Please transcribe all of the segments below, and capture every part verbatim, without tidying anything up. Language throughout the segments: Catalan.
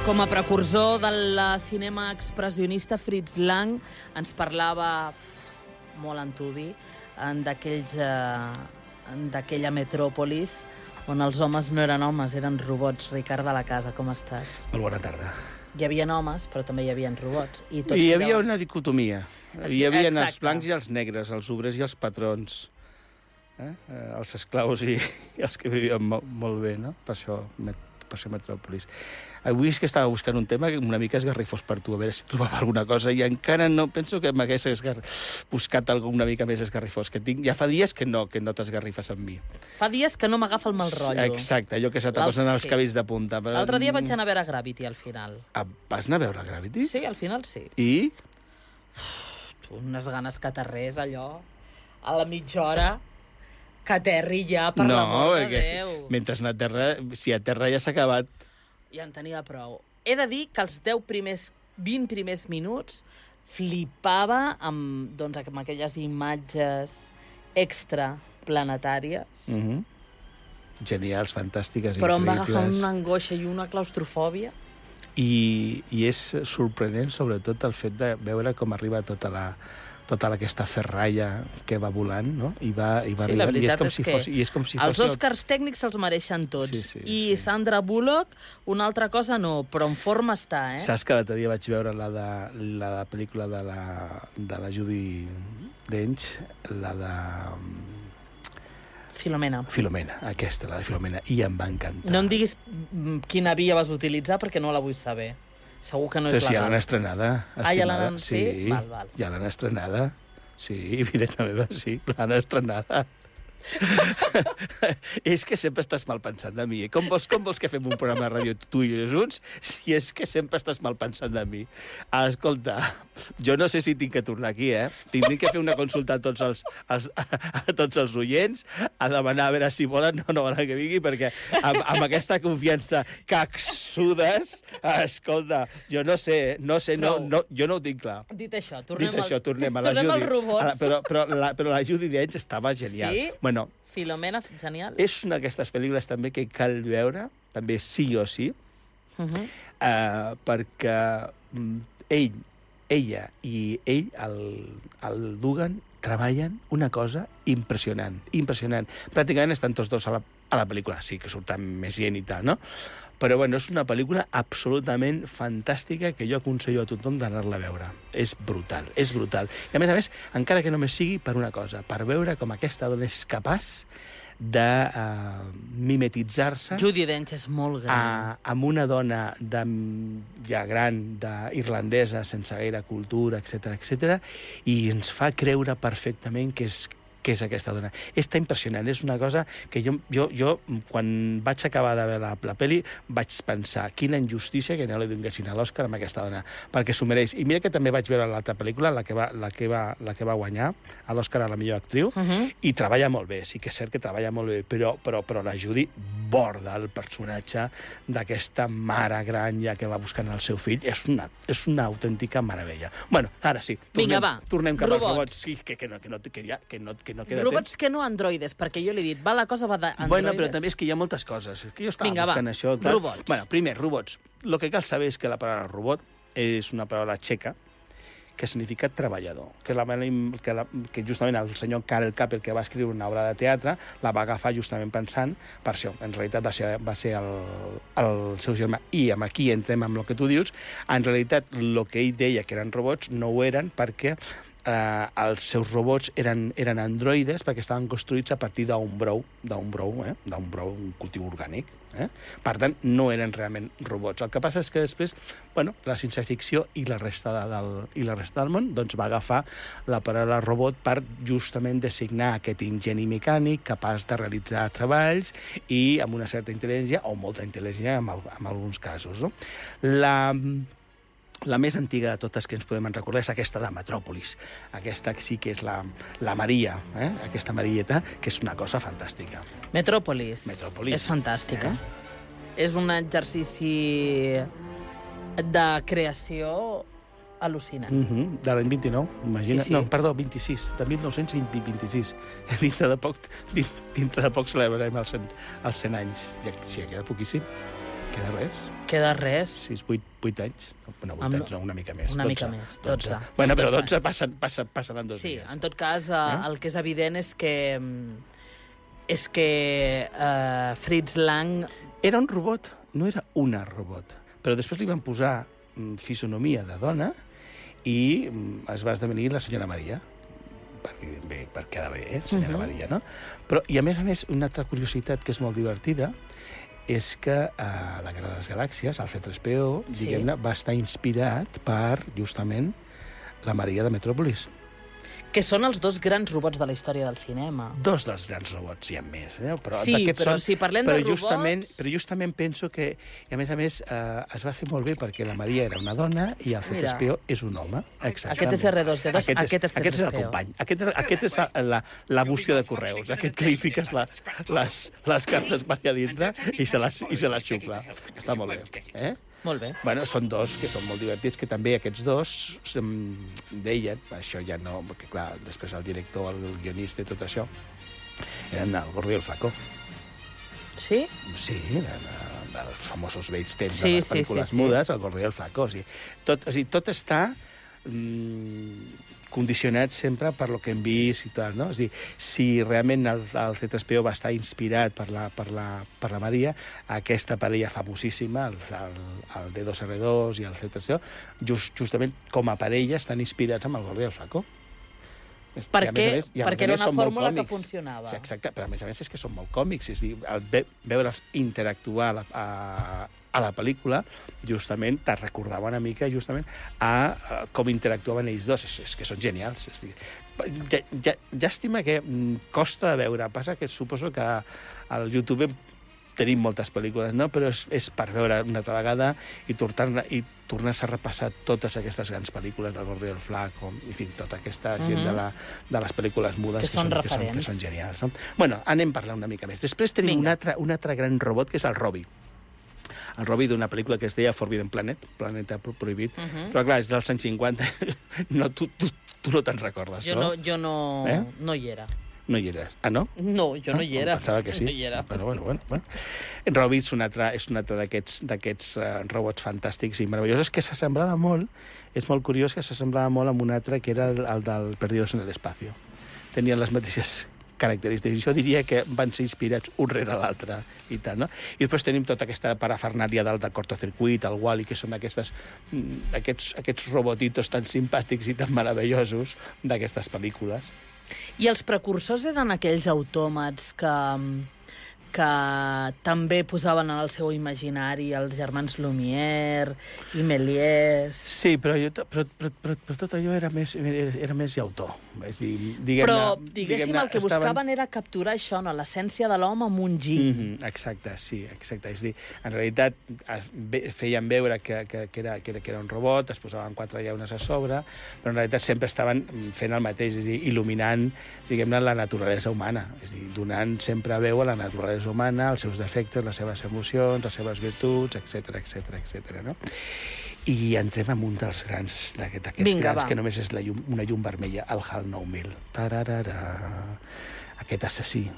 Com a precursor del cinema expressionista, Fritz Lang ens parlava uf, molt antubi d'aquells eh, d'aquella metròpolis on els homes no eren homes, eren robots. Ricard de la Casa, com estàs? Molt bona tarda. Hi havia homes, però també hi havia robots. I, tots I hi tiraven... havia una dicotomia. Hi havia Exacte. els blancs i els negres, els obrers i els patrons, eh? Els esclaus i, i els que vivien molt, molt bé, no? Per això, per això Metròpolis. Avui és que estava buscant un tema una mica esgarrifós per tu, a veure si trobava alguna cosa, i encara no penso que m'hagués esgar... buscat alguna una mica més esgarrifós, que tinc. Ja fa dies que no que no t'esgarrifes amb mi. Fa dies que no m'agafa el mal rotllo. Exacte, allò que se te posen els sí. cabells de punta. Però... L'altre dia vaig anar a veure Gravity, al final. Ah, vas anar a veure Gravity? Sí, al final sí. I? Uf, unes ganes que aterrés, allò, a la mitja hora, que aterri ja, per no, l'amor de perquè Déu. Si, mentre no aterra, si aterra ja s'ha acabat. Ja en tenia prou. He de dir que els deu primers, vint primers minuts flipava amb, doncs, amb aquelles imatges extraplanetàries. Mm-hmm. Genials, fantàstiques, però em va increïbles. agafar una angoixa i una claustrofòbia. I, I és sorprenent, sobretot, el fet de veure com arriba tota la tota aquesta ferralla que va volant, no? I va, i va sí, la arribant, i és veritat com és si que fos, i és com si els fos Oscars el... tècnics se'ls mereixen tots. Sí, sí, I sí. Sandra Bullock, una altra cosa no, però en forma està, eh? Saps que l'altre dia vaig veure la de la de pel·lícula de la, de la Judi Dench, la de... Filomena. Filomena, aquesta, la de Filomena, i em va encantar. No em diguis quina via vas utilitzar perquè no la vull saber. Segur que no és Però si ja legal. l'han estrenada. Ah, ja l'han... Sí, sí? Val, val. ja l'han estrenada. Sí, videta meva, sí, l'han estrenada. És que sempre estàs mal pensant de mi. Eh? Com, vols, com vols que fem un programa de ràdio tu i jo junts si és que sempre estàs mal pensant de mi? Ah, escolta, jo no sé si tinc que tornar aquí, eh? Tinc que fer una consulta a tots els, els, a tots els oients, a demanar a veure si volen o no volen que vingui, perquè amb, amb aquesta confiança caxudes, escolta, jo no sé, no sé, no, no, jo no ho tinc clar. Dit això, tornem, Dit això, als, tornem a la tornem Judi. als robots. A la, però, però, la, però la Judi Dench estava genial. Sí? Bueno, Filomena, genial. és una d'aquestes pel·lícules també que cal veure, també sí o sí, Uh -huh. eh, perquè mm, ell, ella i ell, el, el Dugan, treballen una cosa impressionant, impressionant. Pràcticament estan tots dos a la, a la pel·lícula, sí que surten més gent i tal, no? Però bueno, és una pel·lícula absolutament fantàstica que jo aconsello a tothom d'anar-la a veure. És brutal, és brutal. I a més a més, encara que només sigui per una cosa, per veure com aquesta dona és capaç de uh, mimetitzar-se Judi Dench és molt gran. a, amb una dona de, ja gran, de, irlandesa, sense gaire cultura, etcètera, etcètera, i ens fa creure perfectament que és que és aquesta dona. És tan impressionant, és una cosa que jo, jo, jo quan vaig acabar de veure la, la pel·li, vaig pensar quina injustícia que no li donessin a l'Òscar amb aquesta dona, perquè s'ho mereix. I mira que també vaig veure l'altra pel·lícula, la que va, la que va, la que va guanyar a l'Òscar a la millor actriu, Uh -huh. i treballa molt bé, sí que és cert que treballa molt bé, però, però, però la Judi borda el personatge d'aquesta mare gran ja que va buscant el seu fill. És una, és una autèntica meravella. Bueno, ara sí, tornem, Vinga, va. tornem cap Robots. als robots. Sí, que, que, no, que, no, que, ja, que, no, que no queda Robots temps. que no androides, perquè jo li he dit, va, la cosa va d'androides. Bueno, però també és que hi ha moltes coses. És que jo estava Vinga, buscant va. això. Tal. Robots. Bueno, primer, robots. El que cal saber és que la paraula robot és una paraula txeca que significa treballador, que, la, que, la, que justament el senyor Karel Capel, que va escriure una obra de teatre, la va agafar justament pensant per això. En realitat va ser, va ser el, el seu germà. I amb aquí entrem amb el que tu dius. En realitat, el que ell deia que eren robots no ho eren perquè eh, els seus robots eren, eren androides perquè estaven construïts a partir d'un brou, d'un brou, eh? d'un brou, un cultiu orgànic. Eh? Per tant, no eren realment robots. El que passa és que després, bueno, la ciència-ficció i la resta, de, del, i la resta del món doncs, va agafar la paraula robot per justament designar aquest ingeni mecànic capaç de realitzar treballs i amb una certa intel·ligència, o molta intel·ligència en, en alguns casos. No? La... La més antiga de totes que ens podem recordar és aquesta de Metròpolis. Aquesta sí que és la, la Maria, eh? Aquesta Marieta, que és una cosa fantàstica. Metròpolis. Metròpolis. És fantàstica. Eh? És un exercici de creació al·lucinant. Mm-hmm. De l'any vint-i-nou, imagina. Sí, sí. No, perdó, vint-i-sis, de mil nou-cents vint-i-sis. Dintre de poc, dintre de poc celebrarem els cent, els cent anys. Ja, sí, queda poquíssim. Queda res. Queda res. sis, vuit, vuit anys. No, vuit Amb- anys, no, una mica més. Una dotze, mica més, dotze. Bueno, però dotze dotze anys. passen, passen, passen en dos Sí, dies. en tot cas, eh, Eh? el que és evident és que mm, és que eh, Fritz Lang... Era un robot, no era una robot. Però després li van posar mm, fisonomia de dona i mm, es va esdevenir la senyora Maria. Per, dir bé, per quedar bé, eh? Senyora Mhm. Maria, no? Però, i a més a més, una altra curiositat que és molt divertida és que eh, la Guerra de les Galàxies, el C tres P O, Sí. diguem-ne, va estar inspirat per, justament, la Maria de Metròpolis. Que són els dos grans robots de la història del cinema. Dos dels grans robots, hi ha més, eh? Però Sí, d'aquests però són- si parlem però de robots- justament, Però justament penso que, i a més a més, eh, es va fer molt bé perquè la Maria era una dona i el C tres P O és un home. Exactament. Aquest és erre dos D dos, Aquest és, aquest és aquest és el C tres P O. company. Aquest és, aquest és la, la bústia de correus. Aquest que li fiques la, les, les cartes per allà dintre i se les, i se les xucla. Està molt bé. Eh? Molt bé. Bueno, són dos que són molt divertits, que també aquests dos em, deien, això ja no, perquè clar, després el director, el guionista i tot això, eren el Gordo i el Flaco. Sí? Sí, de, de, dels famosos vells temps Sí, de les sí, pel·lícules sí, sí. mudes, el Gordo i el Flaco. O sigui, tot, o sigui, tot està mm, condicionat sempre per lo que hem vist i tal, no? És a dir, si realment el, el C tres P O va estar inspirat per la, per la, per la Maria, aquesta parella famosíssima, el, el, el D dos R dos i el C tres P O, just, justament com a parella estan inspirats amb el Gordo i el Flaco. És- Per i a més què? a més- i a Perquè més a era més una són molt fórmula que còmics. funcionava. Sí, exacte, però a més a més és que són molt còmics, és a dir, el ve, veure'ls interactuar a la, a, a la pel·lícula, justament te recordava una mica justament a, a com interactuaven ells dos, és, és que són genials. És a dir, ja, ja, llàstima que mm, costa de veure, passa que suposo que al YouTube tenim moltes pel·lícules, no? Però és, és per veure una altra vegada i tornar i tornar-se a repassar totes aquestes grans pel·lícules del Gordo i el Flaco, en fi, tota aquesta gent Mhm. de, la, de les pel·lícules mudes Que són que, són, que, són, que referents. són genials. No? Bueno, anem a parlar una mica més. Després tenim un Vinga. altre, un altre gran robot, que és el Robbie. El Robbie d'una pel·lícula que es deia Forbidden Planet, Planeta Pro- Prohibit, Mhm. però clar, és dels anys cinquanta, no, tu, tu, tu no te'n recordes, Jo no, jo no, Eh? no hi era. No hi eres. Ah, no? No, jo no hi era. Em pensava que sí. No hi era. Bueno, bueno, bueno. bueno. Robbie és un altre, és un altre d'aquests d'aquests uh, robots fantàstics i meravellosos que s'assemblava molt, és molt curiós que s'assemblava molt amb un altre que era el, el del Perdidos en el Espacio. Tenien les mateixes característiques. Jo diria que van ser inspirats un rere l'altre i tal, no? I després tenim tota aquesta parafernàlia del de cortocircuit, el Wall-E, que són aquestes, mm, aquests, aquests robotitos tan simpàtics i tan meravellosos d'aquestes pel·lícules. I els precursors eren aquells autòmats que, que també posaven en el seu imaginari els germans Lumière i Méliès. Sí, però, jo, però, però, però, però tot allò era més, era, era més llautó. És dir, diguem-ne... Però, diguéssim, diguem-ne, el que estaven- buscaven era capturar això, no? L'essència de l'home amb un gir. Mm -hmm, exacte, sí, exacte. És dir, en realitat es ve- feien veure que, que, que, era, que, era, que era un robot, es posaven quatre llaunes a sobre, però en realitat sempre estaven fent el mateix, és dir, il·luminant, diguem-ne, la naturalesa humana, és dir, donant sempre veu a la naturalesa humana, els seus defectes, les seves emocions, les seves virtuts, etc etc etc. no? I entrem en un dels grans, d'aquest- d'aquests Vinga, grans, va. que només és la llum, una llum vermella, el HAL nou mil. Tararara. Aquest assassí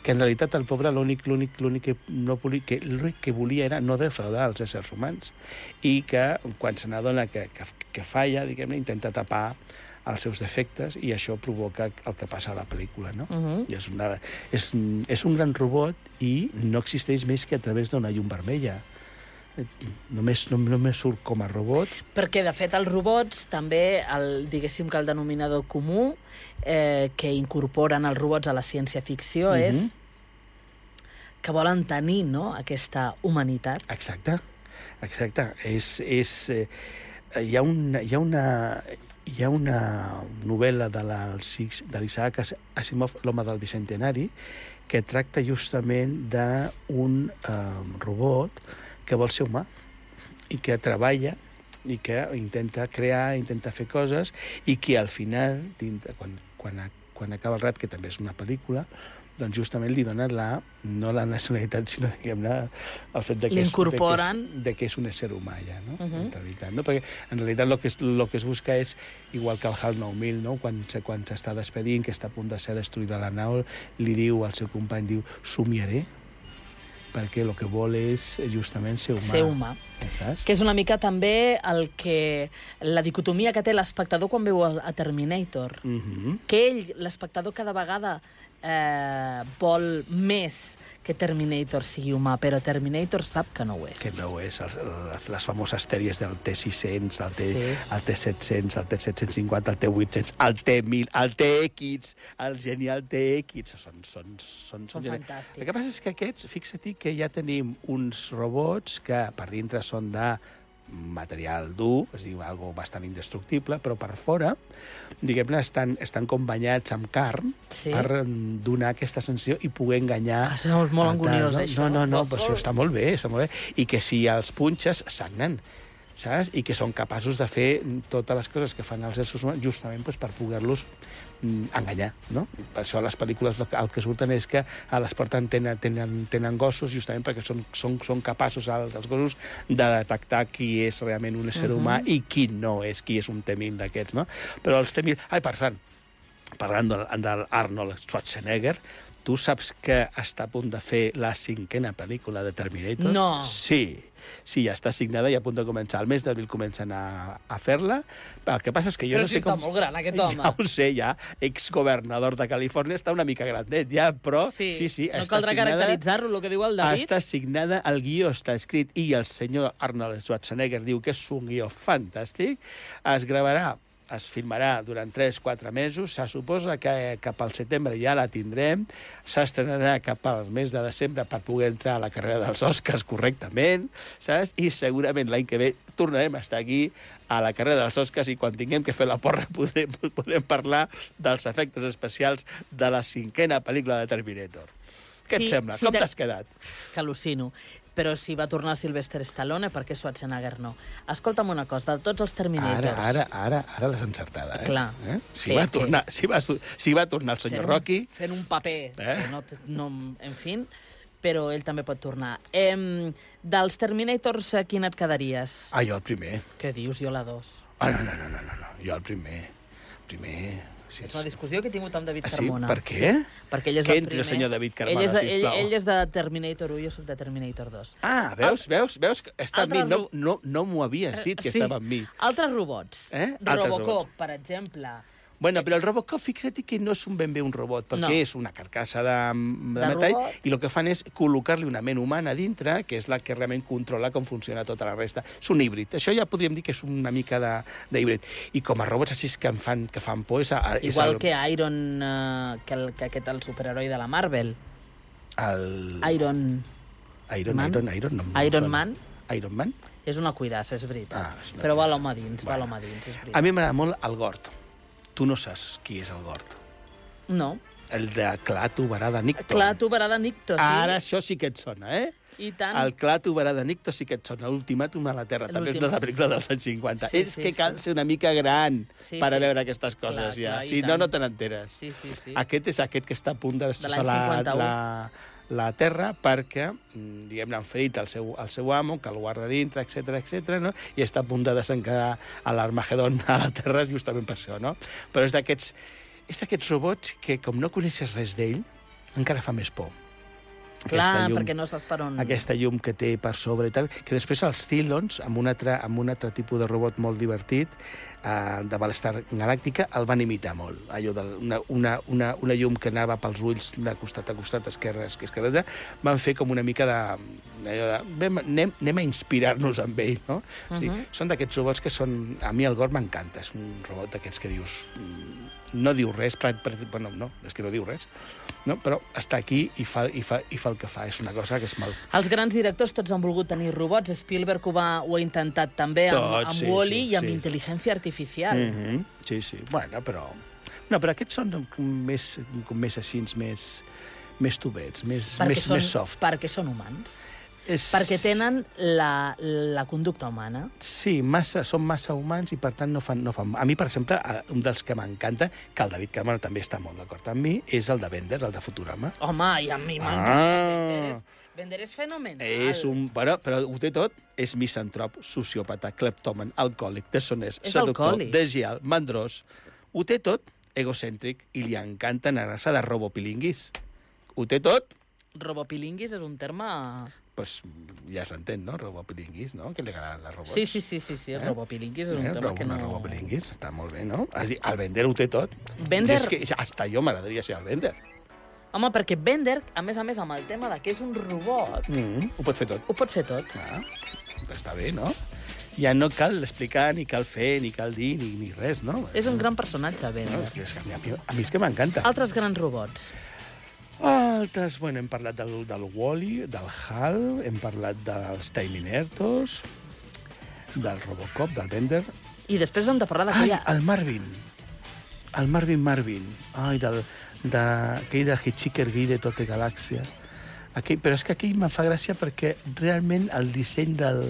que en realitat el pobre l'únic l'únic l'únic que no volia, que l'únic que volia era no defraudar els éssers humans i que quan se n'adona que, que, que falla, diguem-ne, intenta tapar els seus defectes i això provoca el que passa a la pel·lícula, no? Uh -huh. I és, una, és, és un gran robot i no existeix més que a través d'una llum vermella. Només, no, només surt com a robot. Perquè, de fet, els robots també, el, diguéssim que el denominador comú eh, que incorporen els robots a la ciència-ficció Mhm. és que volen tenir, no?, aquesta humanitat. Exacte, exacte. És, és, eh, hi, ha una, hi, ha una, hi ha una novel·la de l'Isaac Asimov, L'home del bicentenari, que tracta justament d'un eh, robot que vol ser humà i que treballa i que intenta crear, intenta fer coses i que al final, dintre, quan, quan, quan acaba el rat, que també és una pel·lícula, doncs justament li dona la, no la nacionalitat, sinó, diguem-ne, el fet de que, és, de, que L'incorporen. és, de que és un ésser humà, ja, no? Uh -huh. En realitat, no? Perquè en realitat el que es, lo que es busca és, igual que el HAL nou mil, no? Quan, se- quan s'està despedint, que està a punt de ser destruïda la nau, li diu al seu company, diu, somiaré, perquè el que vol és justament ser humà. Ser humà. Saps? Que és una mica també el que... la dicotomia que té l'espectador quan veu a Terminator. Mhm. Que ell, l'espectador, cada vegada eh, vol més que Terminator sigui humà, però Terminator sap que no ho és. Que no ho és. Les, les famoses sèries del T sis cents, el T, Sí. el T set cents, el T set cents cinquanta, el T vuit cents, el T mil, el T X, el genial T X... Són, són, són, Són genials. fantàstics. El que passa és que aquests, fixa-t'hi que ja tenim uns robots que per dintre són de material dur, es diu algo bastant indestructible, però per fora, diguem-ne, estan, estan com banyats amb carn Sí. per donar aquesta sensació i poder enganyar... Ah, és molt a tal, anguniós, no? això. No, no, no, però això està molt bé, està molt bé. I que si els punxes, sagnen, saps? I que són capaços de fer totes les coses que fan els éssers humans justament doncs, per poder-los mm, enganyar, no? Per això a les pel·lícules el que surten és que a les porten tenen, tenen, tenen gossos justament perquè són, són, són capaços els, els gossos de detectar qui és realment un ésser Mhm. humà i qui no és, qui és un T mil d'aquests, no? Però els T mil... Ai, per tant, parlant de, de l'Arnold Schwarzenegger, tu saps que està a punt de fer la cinquena pel·lícula de Terminator? No. Sí. Sí, ja està signada i a punt de començar. Al mes d'abril comencen a, a fer-la. El que passa és que jo Però no si sé està com... molt gran, aquest home. Ja ho sé, ja. Exgovernador de Califòrnia està una mica grandet, ja, però... Sí, sí, sí no està caldrà signada, caracteritzar-lo, el que diu el David. està signada, el guió està escrit i el senyor Arnold Schwarzenegger diu que és un guió fantàstic. Es gravarà, es filmarà durant tres quatre mesos, se suposa que cap al setembre ja la tindrem, s'estrenarà cap al mes de desembre per poder entrar a la carrera dels Oscars correctament, saps? I segurament l'any que ve tornarem a estar aquí a la carrera dels Oscars i quan tinguem que fer la porra podrem, podrem parlar dels efectes especials de la cinquena pel·lícula de Terminator. Què et Sí, sembla? sí, Com de- t'has quedat? Que al·lucino. Però si va tornar Sylvester Stallone, per què Schwarzenegger no? Escolta'm una cosa, de tots els Terminators... Ara, ara, ara, ara l'has encertada, eh? Clar. Eh? Si, Que- va que- tornar, si, va, si va tornar el senyor fent un- Rocky... Fent un paper, Eh? que no, té- no, en fi, però ell també pot tornar. Em, dels Terminators, a quin et quedaries? Ah, jo el primer. Què dius? Jo la dos. Ah, no, no, no, no, no, no. jo el primer. Primer... Sí, És una discussió que he tingut amb David Ah, sí? Carmona. Per què? Sí, perquè ell és Que del entri el primer. senyor David Carmona, ell és, ell, sisplau. ell és de Terminator u, jo soc de Terminator dos. Ah, veus, veus, veus? que Està amb mi. Altres No, ro- no, no m'ho havies dit, que Sí. estava amb mi. Altres robots. Eh? Altres Robocop, robots. per exemple. Bueno, però el Robocop, fixa't que no és un ben bé un robot, perquè No. és una carcassa de, de, De metall, robot. i el que fan és col·locar-li una ment humana a dintre, que és la que realment controla com funciona tota la resta. És un híbrid. Això ja podríem dir que és una mica de- d'híbrid. I com a robots així que em fan, que fan por és... A, és Igual el, que Iron, uh, que, el, que aquest, el superheroi de la Marvel. El... Iron Iron, Man? Iron, Iron, no, no em Iron sona. Man Iron Man? és una cuidassa, és veritat. Ah, és una Però va a cuidassa. l'home dins, va a Bueno. l'home dins, és A veritat. mi m'agrada molt el Gord. Tu no saps qui és el Gord. No. El de Clar Tubarà de Nicton. Clar, tu verà de Nicto, sí. Ara això sí que et sona, eh? I tant. El Clar Tubarà de Nicto sí que et sona. L'Ultimàtum a la Terra, també és L'últim. de la pel·lícula dels anys cinquanta. Sí, és sí, que sí. cal ser una mica gran Sí, per a sí. veure aquestes coses, Clar, ja. clar, i Si no, tant. no te n'enteres. Sí, sí, sí. Aquest és aquest que està a punt de destrossar l'any la, cinquanta-u. la, la Terra perquè, mm, diguem-ne, han ferit el seu, el seu amo, que el guarda dintre, etc etc, no? I està a punt de desencadar a l'Armagedon a la Terra justament per això, no? Però és d'aquests és d'aquests robots que, com no coneixes res d'ell, encara fa més por. Clar, perquè no saps per on... Aquesta llum que té per sobre i tal, que després els Cylons, amb un altre, amb un altre tipus de robot molt divertit, eh, de Battlestar Galàctica, el van imitar molt. Allò de una, una, una, una llum que anava pels ulls de costat a costat, esquerra, esquerra, esquerra, van fer com una mica de... allò de anem, anem, anem a inspirar-nos amb ell, no? Uh -huh. O sigui, són d'aquests robots que són... A mi el Gord m'encanta, és un robot d'aquests que dius... No diu res, però, però, bueno, no, és que no diu res, no? Però està aquí i fa, i, fa, i fa el que fa. És una cosa que és mal... Els grans directors tots han volgut tenir robots. Spielberg ho, va, ho ha intentat també amb, Tots, amb sí, Wall-E sí, i amb sí. intel·ligència artificial. Mm -hmm. Sí, sí. Bueno, però... No, però aquests són com més, com més així, més, més tubets, més, Perquè més, són, més soft. perquè són humans. És... Perquè tenen la, la conducta humana. Sí, massa, són massa humans i per tant no fan, no fan... A mi, per exemple, un dels que m'encanta, que el David Cameron també està molt d'acord amb mi, és el de Bender, el de Futurama. Home, i a mi m'encanta. Ah. Bender, és, Bender és fenomenal. És un... Però, però ho té tot. És misantrop, sociòpata, cleptòman, alcohòlic, deshonest, És seductor, alcohòlic. desleal, mandrós. Ho té tot, egocèntric, i li encanta anar-se de robopilinguis. Ho té tot. robopilinguis és un terme... Pues ja s'entén, no? Robopilinguis, no? Que li agraden les robots. Sí, sí, sí, sí, sí. Eh? robopilinguis és un eh? terme que no... Robopilinguis, està molt bé, no? Has dit, el Bender ho té tot. Bender... És que hasta jo m'agradaria ser el Bender. Home, perquè Bender, a més a més, amb el tema de que és un robot... Mm, ho pot fer tot. Ho pot fer tot. Ah, està bé, no? Ja no cal explicar, ni cal fer, ni cal dir, ni, ni res, no? És un gran personatge, Bender. No, és que a, mi, a mi és que m'encanta. Altres grans robots. Altres, bueno, hem parlat del, del Wall-E, del Hal, hem parlat dels Terminators, del Robocop, del Bender. I després hem de parlar Ai, d'aquella... el Marvin. El Marvin Marvin. Ai, del, de, aquell de Hitchhiker Guide de tota galàxia. Aquell, però és que aquell em fa gràcia perquè realment el disseny del,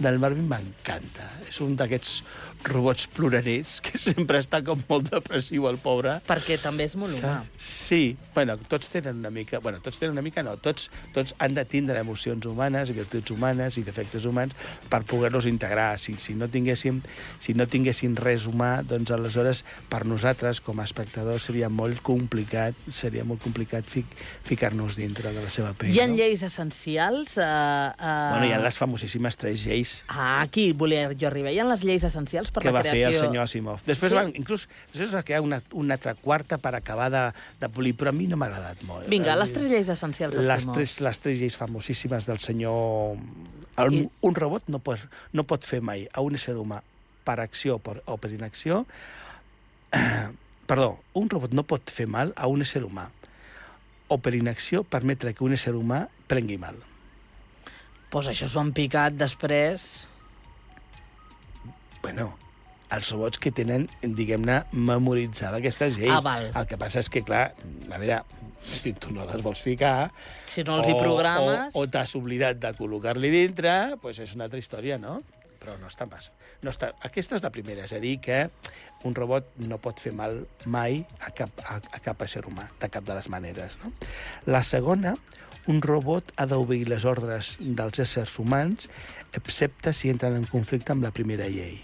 del Marvin m'encanta. És un d'aquests robots plorerets que sempre està com molt depressiu, el pobre. Perquè també és molt humà. Sí, bueno, tots tenen una mica... Bueno, tots tenen una mica, no. Tots, tots han de tindre emocions humanes, virtuts humanes i defectes humans per poder-los integrar. Si, si, no tinguéssim, si no tinguéssim res humà, doncs aleshores per nosaltres, com a espectadors, seria molt complicat, seria molt complicat fic, ficar-nos dintre de la seva pell. Hi ha no? lleis essencials? Uh, uh... Bueno, hi ha les famosíssimes tres lleis. Ah, aquí volia jo arribar. Hi ha les lleis essencials per que la va creació... fer el senyor Asimov. Després, sí? van, inclús, després va crear una, una altra quarta per acabar de, de polir, però a mi no m'ha agradat molt. Vinga, les tres lleis essencials les d'Asimov. tres, les tres lleis famosíssimes del senyor... El, I... Un robot no pot, no pot fer mai a un ésser humà per acció o per, o per inacció... Perdó, un robot no pot fer mal a un ésser humà o per inacció permetre que un ésser humà prengui mal. Pues això s'ho han picat després... Bueno, els robots que tenen, diguem-ne, memoritzada aquestes lleis. Ah, val. El que passa és que, clar, a veure, si tu no les vols ficar... Si no els hi programes... O, o, o t'has oblidat de col·locar-li dintre, doncs és una altra història, no? Però no està pas. No està... Aquesta és la primera, és a dir, que un robot no pot fer mal mai a cap, a, a cap ésser humà, de cap de les maneres, no? La segona, un robot ha d'obeir les ordres dels éssers humans, excepte si entren en conflicte amb la primera llei.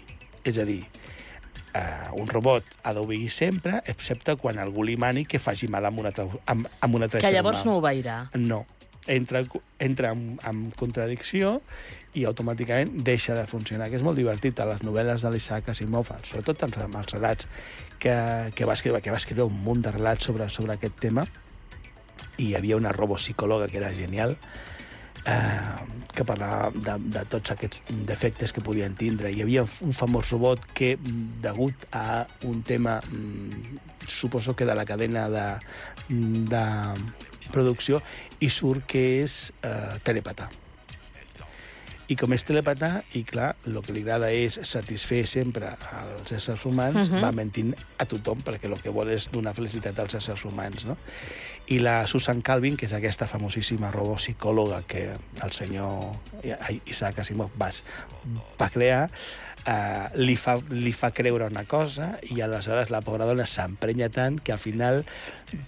És a dir, uh, un robot ha d'obeir sempre, excepte quan algú li mani que faci mal amb una, amb, amb una altra Que llavors humà. no obeirà. No. Entra, entra en, en contradicció i automàticament deixa de funcionar, que és molt divertit a les novel·les de l'Isaac Asimov, sobretot amb els relats que, que, va escriure, que va escriure un munt de relats sobre, sobre aquest tema, i hi havia una robopsicòloga que era genial, eh, que parlava de, de tots aquests defectes que podien tindre. Hi havia un famós robot que, degut a un tema, suposo que de la cadena de, de producció, i surt que és eh, telepatà. I com és telepatà, i clar, el que li agrada és satisfer sempre als éssers humans, uh-huh. va mentint a tothom, perquè el que vol és donar felicitat als éssers humans, no? I la Susan Calvin, que és aquesta famosíssima robopsicòloga que el senyor Isaac Asimov va, va crear, eh, li, fa, li fa creure una cosa, i aleshores la pobra dona s'emprenya tant que al final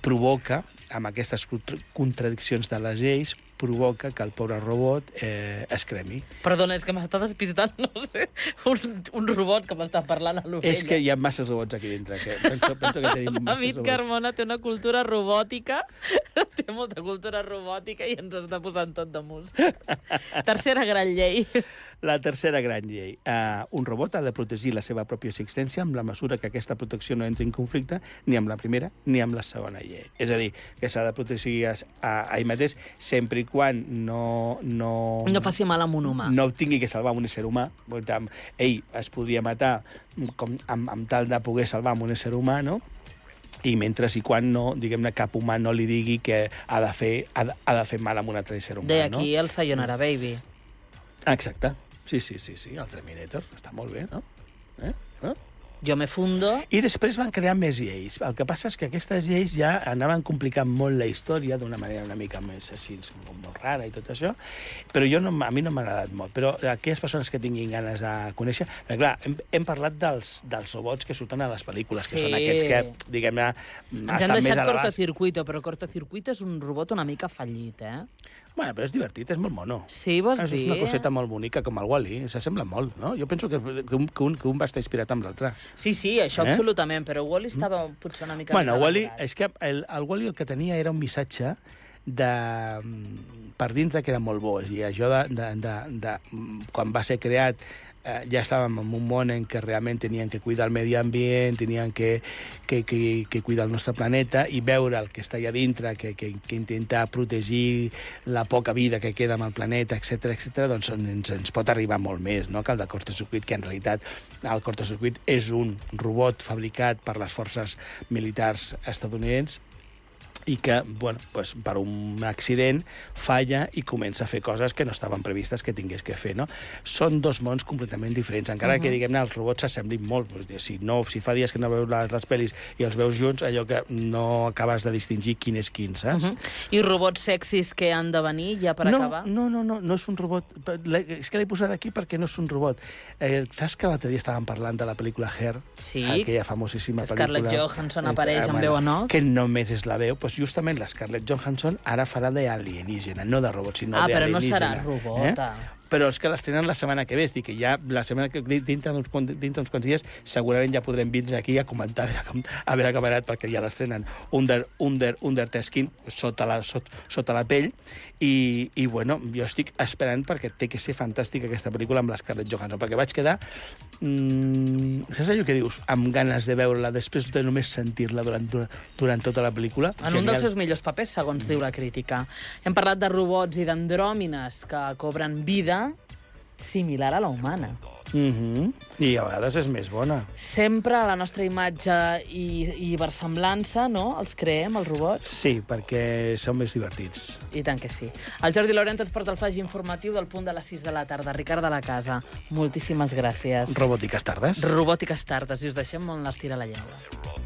provoca, amb aquestes contradiccions de les lleis, provoca que el pobre robot eh, es cremi. Perdona, és que m'està despistant, no sé, un, un robot que m'està parlant a l'ovella. És que hi ha masses robots aquí dintre. Que penso, penso que tenim masses David robots. Carmona té una cultura robòtica, té molta cultura robòtica i ens està posant tot damunt. Tercera gran llei. La tercera gran llei. Uh, un robot ha de protegir la seva pròpia existència amb la mesura que aquesta protecció no entri en conflicte ni amb la primera ni amb la segona llei. És a dir, que s'ha de protegir a, a, a ell mateix sempre i quan no... No, no faci mal a un humà. No tingui que salvar un ésser humà. Ell es podria matar com, amb, amb tal de poder salvar un ésser humà, no? I mentre i quan no, diguem-ne, cap humà no li digui que ha de fer, ha de, ha de fer mal a un altre ésser humà, de aquí no? el Sayonara Baby. Exacte. Sí, sí, sí, sí, el Terminator. Està molt bé, no? Eh? Eh? Jo me fundo... I després van crear més lleis. El que passa és que aquestes lleis ja anaven complicant molt la història d'una manera una mica més així, molt rara i tot això, però jo no, a mi no m'ha agradat molt. Però aquelles persones que tinguin ganes de conèixer... Perquè, clar, hem, hem parlat dels, dels robots que surten a les pel·lícules, sí. Que són aquests que, diguem-ne, ens han deixat Cortocircuito, però Cortocircuito és un robot una mica fallit, eh? Bueno, però és divertit, és molt mono. Sí, vols és dir? És una coseta molt bonica, com el Wall-E. S'assembla molt, no? Jo penso que, que, un, que, un, que un va estar inspirat amb l'altre. Sí, sí, això eh? absolutament, però Wall-E estava potser una mica bueno, més Wall-E, elaborat. és que el, el Wall-E el que tenia era un missatge de per dintre que era molt bo. I això de, de, de, de quan va ser creat eh, ja estàvem en un món en què realment tenien que cuidar el medi ambient, tenien que, que, que, que cuidar el nostre planeta, i veure el que està allà dintre, que, que, que intentar protegir la poca vida que queda amb el planeta, etcètera, etcètera, doncs ens, ens pot arribar molt més, no?, que el de cortocircuit, que en realitat el cortocircuit és un robot fabricat per les forces militars estadounidenses i que, bueno, pues, per un accident falla i comença a fer coses que no estaven previstes que tingués que fer, no? Són dos mons completament diferents, encara uh -huh. que, diguem-ne, els robots s'assemblin molt. Si, no, si fa dies que no veus les, les pel·lis i els veus junts, allò que no acabes de distingir quin és quin, saps? Uh -huh. I robots sexis que han de venir, ja per no, acabar? No, no, no, no és un robot. És que l'he posat aquí perquè no és un robot. Eh, saps que l'altre dia estàvem parlant de la pel·lícula Her? Sí. Aquella famosíssima pel·lícula. Scarlett Johansson apareix amb veu en off. Que només és la veu. Pues justament la Scarlett Johansson ara farà d'alienígena, no de robot, sinó ah, d'alienígena. Ah, però no serà robota. Eh? Però és que l'estrenen la setmana que ve. És dir, que ja la setmana que dintre d'uns dintre quants dies segurament ja podrem vindre aquí a comentar a veure com, a veure com ha anat, perquè ja l'estrenen under, under, under the skin, sota la, sot, sota la pell, i, i bueno, jo estic esperant perquè té que ser fantàstica aquesta pel·lícula amb la Scarlett Johansson, perquè vaig quedar mmm, saps allò que dius? Amb ganes de veure-la després de només sentir-la durant, durant tota la pel·lícula. En Genial. Un dels seus millors papers, segons mm. diu la crítica. Hem parlat de robots i d'andròmines que cobren vida similar a la humana. Mm-hmm. I a vegades és més bona. Sempre a la nostra imatge i, i versemblança, no?, els creem, els robots? Sí, perquè són més divertits. I tant que sí. El Jordi Laurent ens porta el flaix informatiu del punt de les sis de la tarda. Ricard de la Casa, moltíssimes gràcies. Robòtiques tardes. Robòtiques tardes, i us deixem on l'estira la llengua.